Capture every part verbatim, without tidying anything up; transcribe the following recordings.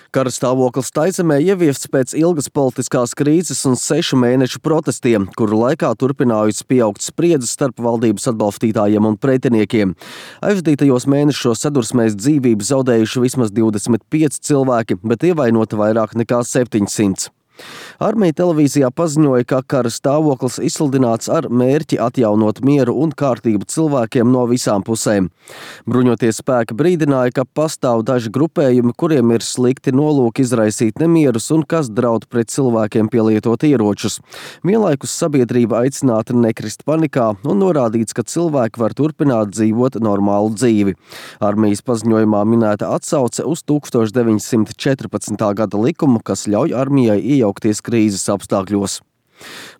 Kara stāvoklis Taizemē ieviests pēc ilgas politiskās krīzes un sešu mēnešu protestiem, kuru laikā turpinājusi pieaugt spriedzes starp valdības atbalstītājiem un pretiniekiem. Aizvadītajos mēnešos sadursmēs dzīvību zaudējuši vismaz divdesmit pieci cilvēki, bet ievainoti vairāk nekā septiņsimt. Armija televīzijā paziņoja, ka kara stāvoklis izsludināts ar mērķi atjaunot mieru un kārtību cilvēkiem no visām pusēm. Bruņotie spēki brīdināja, ka pastāv daži grupējumi, kuriem ir slikti nolūki izraisīt nemierus un kas draud pret cilvēkiem pielietot ieročus. Vienlaikus sabiedrība aicināta nekrist panikā un norādīts, ka cilvēki var turpināt dzīvot normālu dzīvi. Armijas paziņojumā minēta atsauce uz tūkstoš deviņsimt četrpadsmitā gada likumu, kas ļauj armijai iejaukties krīzes apstākļos.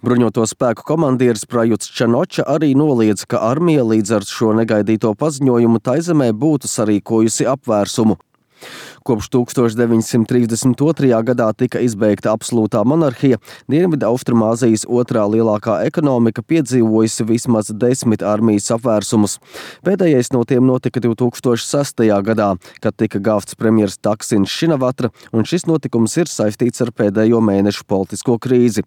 Bruņoto spēku komandieris Prajuts Čanoča arī noliedza, ka armija līdz ar šo negaidīto paziņojumu Taizemē būtu sarīkojusi apvērsumu. Kopš tūkstoš deviņsimt trīsdesmit otrajā gadā tika izbeigta absolūtā monarhija, Dienvidu Austrumāzijas otrā lielākā ekonomika piedzīvojusi vismaz desmit armijas apvērsumus. Pēdējais no tiem notika divtūkstoš sestajā gadā, kad tika gāvts premjers Taksins Šinavatra, un šis notikums ir saistīts ar pēdējo mēnešu politisko krīzi.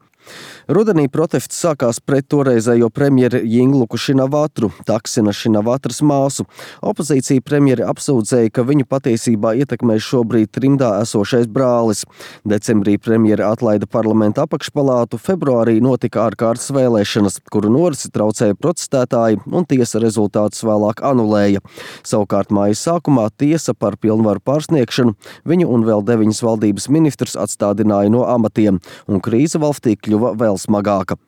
Rudenī protests sākās pret toreizējo premjeri Jingluku Šinavatru, Taksina Šinavatras māsu. Opozīcija premjeri apsūdzēja, ka viņu patiesībā ietekmē šobrīd trimdā esošais brālis. Decembrī premjeri atlaida parlamenta apakšpalātu, februārī notika ārkārtas vēlēšanas, kuru norisi traucēja protestētāji un tiesa rezultātus vēlāk anulēja. Savukārt mājas sākumā tiesa par pilnvaru pārsniegšanu viņu un vēl deviņas valdības ministrus atstādināja no amatiem, un krīze valstī kļuva vēl smagāka.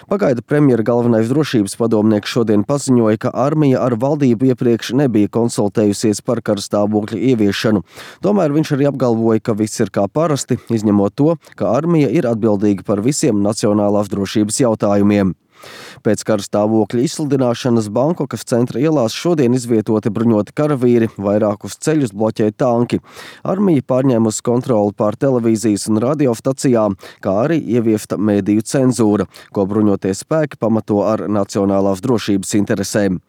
Pagaida premjera galvenais drošības padomnieks šodien paziņoja, ka armija ar valdību iepriekš nebija konsultējusies par kara stāvokļa ieviešanu. Tomēr viņš arī apgalvoja, ka viss ir kā parasti, izņemot to, ka armija ir atbildīga par visiem nacionālās drošības jautājumiem. Pēc kara stāvokļa izsludināšanas Bankokas centra ielās šodien izvietoti bruņoti karavīri, vairākus ceļus bloķē tanki. Armija pārņēmusi kontroli pār televīzijas un radiostacijām, kā arī ieviesta mediju cenzūra, ko bruņotie spēki pamato ar nacionālās drošības interesēm.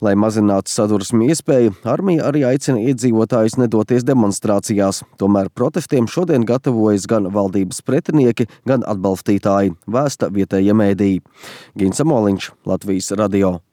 Lai mazinātu sadursmi iespēju, armija arī aicina iedzīvotājus nedoties demonstrācijās. Tomēr protestiem šodien gatavojas gan valdības pretinieki, gan atbalstītāji, vēsta vietējie mēdīji. Gins Amoliņš, Latvijas radio.